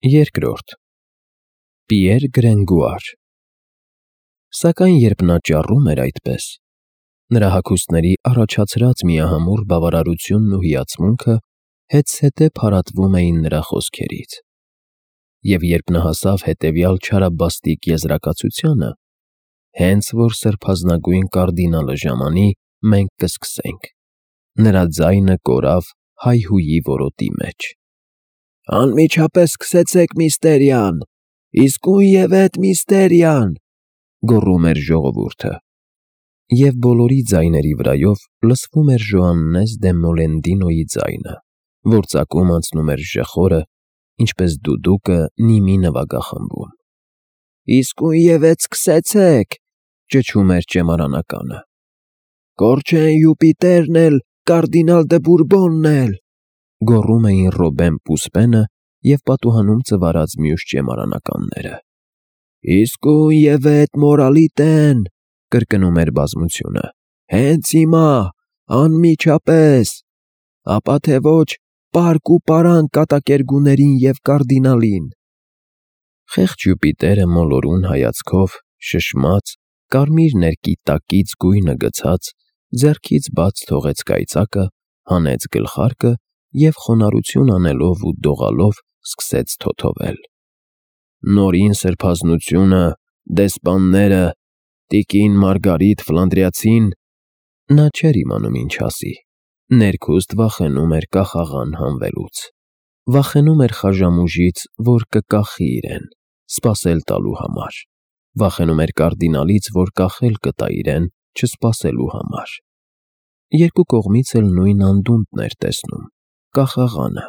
Երկրորդ Պիեր Գրենգուար Սակայն երբ նա ճառում էր այդպես, նրա հագուստների առաջացրած միահամուռ բավարարությունն ու հիացմունքը հետզհետե փարատվում էին նրա խոսքերից, և երբ նա հասավ հետևյալ չարաբաստիկ եզրակացությանը, հենց որ սրբազնագույն կարդինալը ժամանի, մենք կսկսենք, նրա ձայնը կորավ հայհույի որոտի մեջ. «Անմիջապես սկսեցեք, միստերիան, իսկույնևեթ միստերիան», գոռում էր ժողովուրդը, և բոլորի ձայների վրայով լսվում էր Ժոաննես դե Մոլենդինոյի ձայնը, որ ծակում անցնում էր ժխորը, ինչպես դուդուկը նիմի նվագախմբում։ «Իսկույնևեթ սկսեցեք», ճչում էր ճեմարանականը, «Կորչեն Յուպիտերն էլ, կարդինալ դը Բուրբոնն էլ», գոռում էին Ռոբեն Պուսպենը և պատուհանում ծվարած մյուս ճեմարանականները։ «Իսկույնևեթ մորալիտեն», կրկնում էր բազմությունը, «հենց հիմա, անմիջապես, ապա թե ոչ պարկ ու պարանկ կատակերգուներին և կարդինալին»։ Խեղճ Յուպիտերը մոլորուն հայացքով, շշմած, կարմիր ներկի տակից գույնը գցած, ձեռքից բաց թողեց կայծակը, հանեց գլխարկը և խոնարհություն անելով ու դողալով սկսեց թոթովել. «Նորին սրբազնությունը, դեսպանները, տիկին Մարգարիտ Ֆլանդրիացին…» Նա չէր իմանում ինչ ասի, ներքուստ վախենում էր կախաղան հանվելուց, վախենում էր խաժամուժից, որ կկախի իրեն, սպասել տալու համար, վախենում էր կարդինալից, որ կախել կտա իրեն, չսպասելու համար։ Երկու կողմից էլ նույն անդունդն էր տեսնում՝ կախաղանը։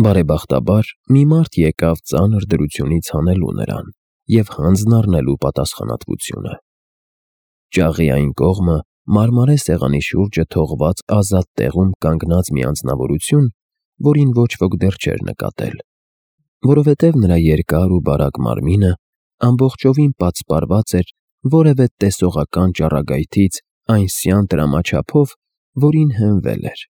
Բարեբախտաբար, մի մարդ եկավ ծանր դրությունից հանելու նրան և հանձն առնելու պատասխանատվությունը։ Ճաղի այն կողմը մարմարե սեղանի շուրջը թողված ազատ տեղում կանգնած մի անձնավորություն, որին ոչ ոք դեռ չէր նկատել, որովհետև նրա երկար ու բարակ մարմինը ամբողջովին պատսպարված էր որևէ տեսողական ճառագայթից այնսյան տրամաչափով, որին հենվել էր։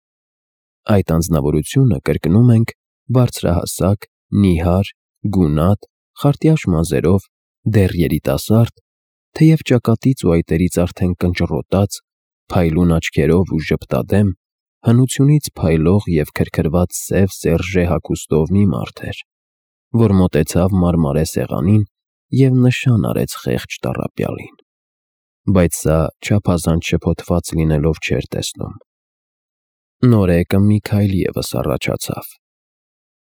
Այդ անձնավորությունը, կրկնում ենք, բարձրահասակ, նիհար, գունատ, խարտյաշ մազերով, դեռ երիտասարդ, թեև ճակատից ու այտերից արդեն կնճռոտած, փայլուն աչքերով ու ժպտադեմ, հնությունից փայլող և քրքրված սև սերժե հագուստով մի մարդ էր, որ մոտեցավ մարմարե սեղանին և նշան արեց խեղճ տառապյալին։ Բայց սա չափազանց շփոթված լինելով չէր տեսնում։ Նորեկը մի քայլ ևս առաջացավ։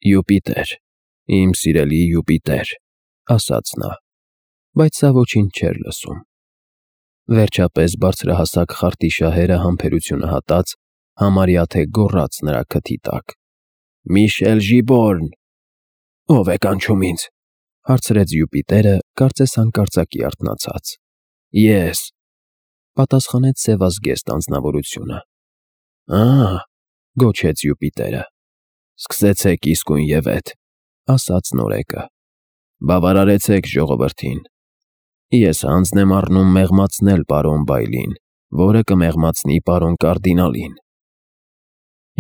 «Յուպիտեր, իմ սիրելի Յուպիտեր», ասաց նա, բայց սա ոչինչ չէր լսում։ Վերջապես բարձրահասակ խարտի շահերը համբերությունը հատած, համարյա թե գոռաց նրա քթի տակ. «Միշել Ժիբորն»։ «Ո՞վ է կանչում ինձ», հարցրեց Յուպիտերը, կարծես հանկարծակի արթնացած։ «Ես», պատասխանեց սևազգեստ անձնավորությունը։ «Ահ», գոչեց Յուպիտերը։ «Սկսեցեք իսկույնևեթ», ասաց նորեկը։ «Բավարարեցեք ժողովրդին։ Ես հանձն եմ առնում մեղմացնել պարոն Բայլին, որը կմեղմացնի պարոն կարդինալին»։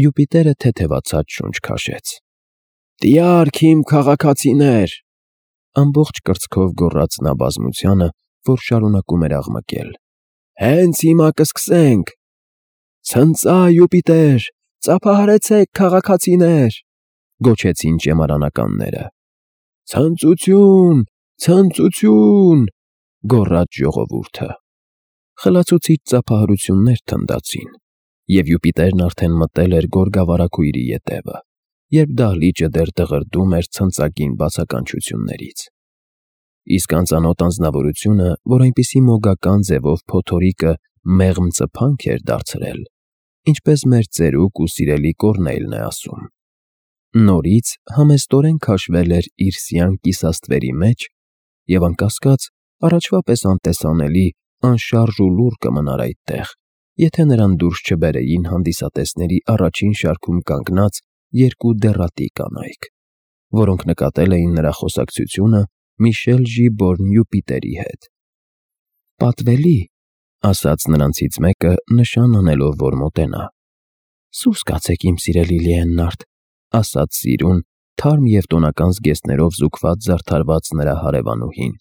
Յուպիտերը թեթևացած շունչ քաշեց։ «Տյարք իմ քաղաքացիներ», ամբողջ կրծքով գոռաց նա բազմությանը, որ շարունակում էր աղմկել, «հենց հիմա կսկսենք։ Ցնծա Յուպիտեր, ծափահարեցեք քաղաքացիներ», գոչեցին ճեմարանականները։ «Ցնծություն, ցնծություն», գոռաց ժողովուրդը։ Խլացուցիչ ծափահարություններ թնդացին, և Յուպիտերն արդեն մտել էր գորգավառակույրի ետևը, երբ դահլիճը դեռ դղրդում էր ցնծագին բացականչություններից։ Իսկ անծանոթ անձնավորությունը, որ այնպիսի մոգական ձևով փոթորիկը մեղմ ծփանք էր դարձրել, ինչպես մեր ծերուկ ու սիրելի Կոռնեյլն է ասում, նորից համեստորեն քաշվել էր իր սյան կիսաստվերի մեջ և անկասկած առաջվա պես անտեսանելի, անշարժ ու լուռ կմնար այդտեղ, եթե նրան դուրս չբերեին հանդիսատեսների առաջին շարքում կանգնած երկու դեռատի կանայք, որոնք նկատել էին նրա խոսակցությունը Միշել Ժիբորն Յուպիտերի հետ։ «Պատվելի», ասաց նրանցից մեկը, նշան անելով, որ մոտենա։ «Սուս կացեք, իմ սիրելի Լիեննարդ», ասաց Սիրուն, թարմ և տոնական զգեստներով զուգված զարդարված նրա հարևանուհին։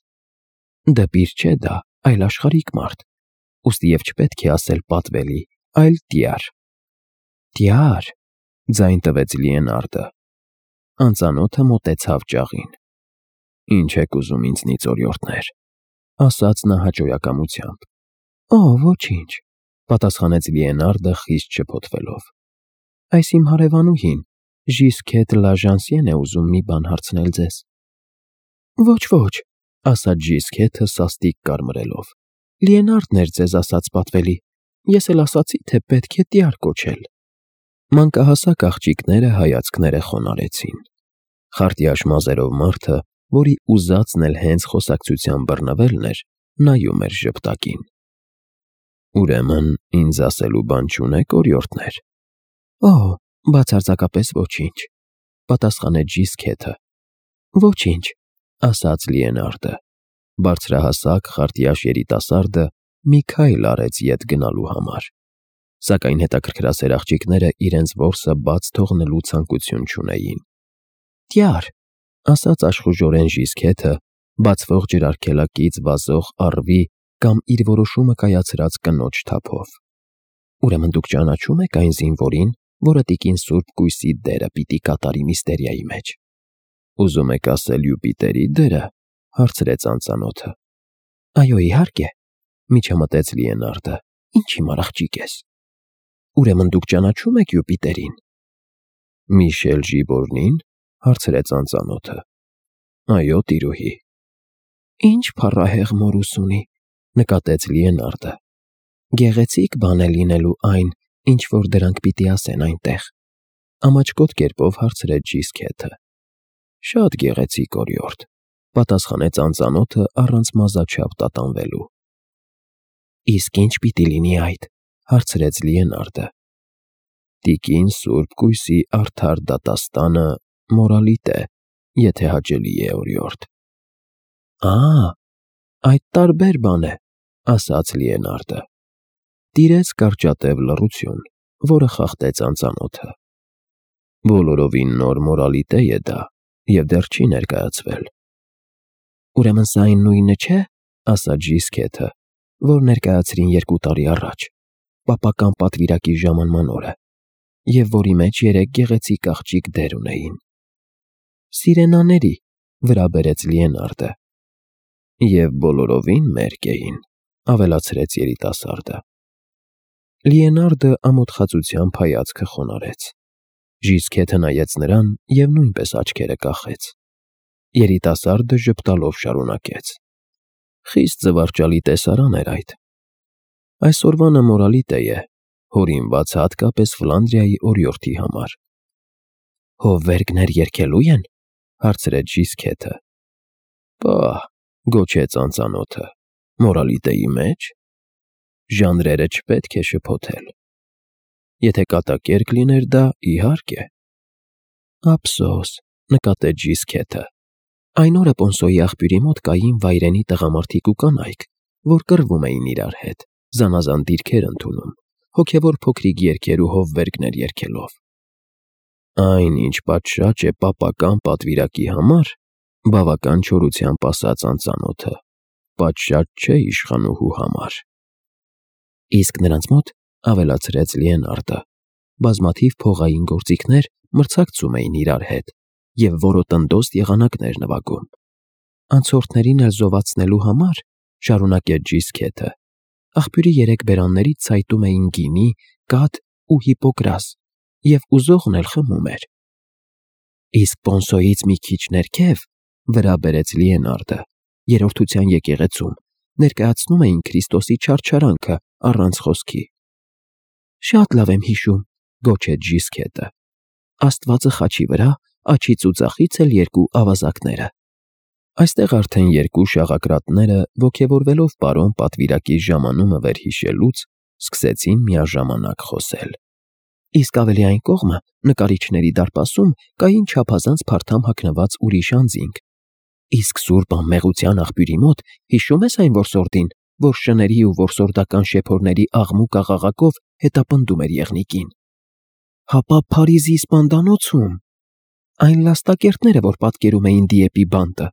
Դպիր չէ դա, այլ աշխարհիկ մարդ, ուստի և չպետք է ասել պատվելի, այլ տյար։ Տյար, ձայն տվեց Լիենարդը։ Անծանոթը մոտեցավ ճաղին։ Ինչ եք ուզում ինձնից, օրիորդներ, ասաց նա հաճոյակամությամբ։ Ոչինչ, պատասխանեց Լիենարդը խիստ շփոթվելով։ Այս իմ հարևանուհին, Ժիսկետ Լաժանսիեն է ուզում մի բան հարցնել ձեզ։ Ոչ, ասաց Ժիսկետը սաստիկ կարմրելով։ Լիենարդն էր ձեզ ասաց պատվելի, ես էլ ասացի, թե պետք է տյար կոչել։ Մանկահասակ աղջիկները հայացքները խոնարհեցին։ Խարտյաշ մազերով մարդը, որի ուզածն էլ հենց խոսակցության բռնվելն էր, նայում էր ժպտակին։ Ուրեմն ինձ ասելու բան չունեք, օրիորդներ։ Բացարձակապես ոչինչ, պատասխանեց Ժիսկետը։ Ոչինչ, ասաց Լիենարդը։ Բարձրահասակ խարտյաշ երիտասարդը մի քայլ արեց ետ գնալու համար, սակայն հետաքրքրասեր աղջիկները իրենց որսը բաց թողնելու ցանկություն չունեին։ Տյար, ասաց աշխուժորեն Ժիսկետը, բացվող ջրարգելակից վազող առվի կամ իր որոշումը կայացրած կնոջ թափով։ Ուրեմն դուք ճանաչում եք այն զինվորին, որը տիկին Սուրբ Կույսի դերը պիտի կատարի միստերիայի մեջ։ Ուզում եք ասել Յուպիտերի դերը, հարցրեց անծանոթը։ Այո, իհարկե, միջամտեց Լիենարդը։ Ինչ հիմար աղջիկ ես։ Ուրեմն դուք ճանաչում եք Յուպիտերին։ Միշել Ժիբորնին, հարցրեց անծանոթը։ Այո, տիրուհի։ Ինչ փառահեղ մորուս ունի, նկատեց Լիենարդը։ Գեղեցիկ բան է լինելու այն, ինչ որ դրանք պիտի ասեն այնտեղ։ Ամաչկոտ կերպով հարցրեց Ժիսկետը։ Շատ գեղեցիկ, օրիորդ, պատասխանեց անծանոթը առանց մազաչափ տատանվելու։ Իսկ ինչ պիտի լինի այդ, հարցրեց Լիենարդը։ Տիկին Սուրբ Կույսի արդար դատաստանը մորալիտ է, եթե հաճելի է, օրիորդ։ Այդ տարբեր բան է, ասաց Լիենարդը։ Տիրեց կարճատև լռություն, որը խախտեց անծանոթը։ Բոլորովին նոր մորալիտե է դա, և դեռ չի ներկայացվել։ Ուրեմն սա այն նույնը չէ, ասաց Ժիսկետը, որ ներկայացրին 2 տարի առաջ, պապական պատվիրակի ժամանման օրը, և որի մեջ 3 գեղեցիկ աղջիկ դեր ունեին։ Սիրենաների, վրա բերեց Լիենարդը։ Եվ բոլորովին մերկ էին, ավելացրեց երիտասարդը։ Լիենարդը ամոթխածությամբ հայացքը խոնարհեց։ Ժիսկետը նայեց նրան և նույնպես աչքերը կախեց։ Երիտասարդը ժպտալով շարունակեց. Խիստ զվարճալի տեսարան էր այդ։ Այսօրվանը մորալիտե է, հորինված հատկապես Ֆլանդրիայի օրիորդի համար։ Հովվերգներ երգելու են, հարցրեց Ժիսկետը։ Պահ, գոչեց անծանոթը, մորալիտեի մեջ ժանրերը չպետք է շփոթել։ Եթե կատակերգ լիներ դա, իհարկե։ Ափսոս, նկատեց Ժիսկետը։ Այն օրը Պոնսոյի աղբյուրի մոտ կային վայրենի տղամարդիկ ու կանայք, որ կռվում էին իրար հետ, զանազան դիրքեր ընդունում, հոգևոր փոքրիկ երգեր ու հովվերգներ երգելով։ Այն, ինչ պատշաճ է պապական պատվիրակի համար, բավական չորությամբ ասաց անծանոթը, պատշաճ չէ իշխանուհու համար։ Իսկ նրանց մոտ, ավելացրեց Լիենարդը, բազմաթիվ փողային գործիքներ մրցակցում էին իրար հետ և որոտնդոս եղանակներ նվագում։ Անցորդներին էլ զովացնելու համար, շարունակեց Ժիսկետը, աղբյուրի 3 բերաններից ցայտում էին գինի, կաթ ու հիպոկրաս, և ուզողն էլ խմում էր։ Իսկ Պոնսոյից մի քիչ ներքև, վրա բերեց Լիենարդը, երրորդության եկեղեցում, ներկայացնում էին Քրիստոսի չարչարանքը առանց խոսքի։ Շատ լավ եմ հիշում, գոչեց Ժիսկետը։ Աստվածը խաչի վրա, աջից ու ձախից էլ 2 ավազակները։ Այստեղ արդեն 2 շաղակրատները, ոգևորվելով պարոն պատվիրակի ժամանումը վերհիշելուց, սկսեցին միաժամանակ խոսել։ Իսկ ավելի այն կողմը, նկարիչների դարպասում, կային չափազանց փարթամ հագնված ուրիշ անձինք։ Իսկ Սուրբ Անմեղության աղբյուրի մոտ հիշում ես այն որսորդին, որ շների ու որսորդական շեփորների աղմուկ աղաղակով հետապնդում էր եղնիկին։ Հապա Փարիզի սպանդանոցում։ Այն լաստակերտները, որ պատկերում էին Դիեպի բանտը։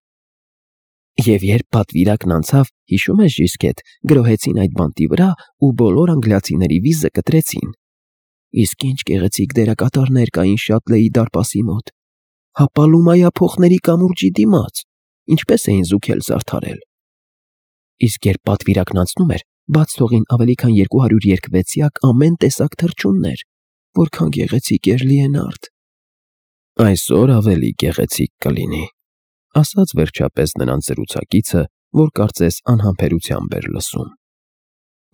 Եվ երբ պատվիրակն անցավ, հիշում ես Ժիսկետ, գրոհեցին այդ բանտի վրա ու բոլոր անգլիացիների վիզը կտրեցին։ Իսկ ինչ գեղեցիկ դերակատարներ կային Շատլեի դարպասի մոտ։ Հապալումայա փոխների կամուրջի դիմաց, ինչպես էին զուգել զարդարել։ Իսկ երբ պատվիրակն անցնում էր, բաց թողին ավելի քան 200 երկվեցյակ ամեն տեսակ թռչուններ, որքան գեղեցիկ էր Լիենարդ։ Այսօր ավելի գեղեցիկ կլինի, ասաց վերջապես նրանց զրուցակիցը, որ կարծես անհամբերությամբ էր լսում։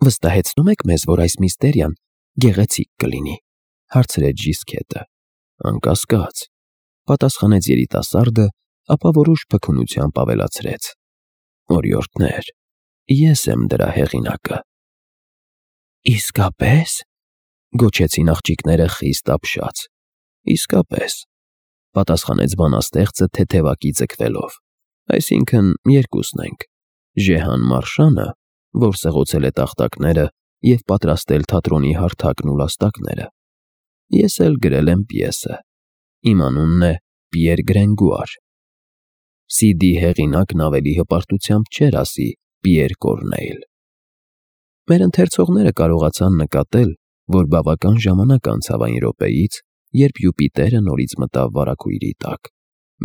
Վստահեցնում եք մեզ, որ այս միստերիան գեղեցիկ կլինի, հարցրեց Ժիսկետը։ Անկասկած, պատասխանեց երիտասարդը, ապա որոշ փքունությամբ ավելացրեց. Օրիորդներ, ես եմ դրա հեղինակը։ Իսկապես, գոչեցին աղջիկները խիստ ապշած։ Իսկապես, պատասխանեց բանաստեղծը թեթևակի ձգվելով։ Այսինքն երկուսն ենք. Ժեհան Մարշանը, որ սղոցել է տախտակները և պատրաստել թատրոնի հարթակն ու լաստակները։ Ես էլ գրել եմ պիեսը։ Իմ անունն է Պիեր Գրենգուար։ Սիդի հեղինակն ավելի հպարտությամբ չէր ասի Պիեր Կորնեյլ։ Մեր ընթերցողները կարողացան նկատել, որ բավական ժամանակ անցավ այն րոպեից, երբ Յուպիտերը նորից մտավ վարագույրի տակ,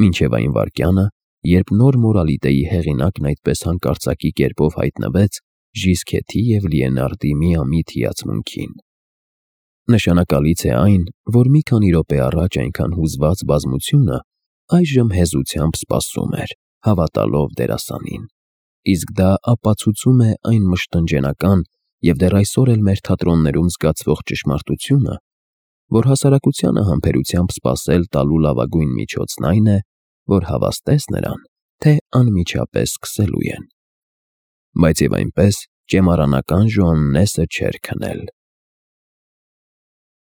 մինչև այն վայրկյանը, երբ նոր մորալիտեի հեղինակն այդպես հանկարծակի կերպով հայտնվեց Ժիսկեթի և Լիենարդի միամիտ հիացմունքին։ Նշանակալից է այն, որ մի քանի րոպե առաջ այնքան հուզված բազմությունը այժմ հեզությամբ սպասում էր, հավատալով դերասանին։ Իսկ դա ապացուցում է այն մշտնջենական և դեռ այսօր էլ մեր թատրոններում զգացվող ճշմարտությունը, որ հասարակությանը համբերությամբ սպասել տալու լավագույն միջոցն այն է, որ հավաստես նրան, թե անմիջապես սկսելու են։ Բայց և այնպես ճեմարանական Ժոաննեսը չէր քնել։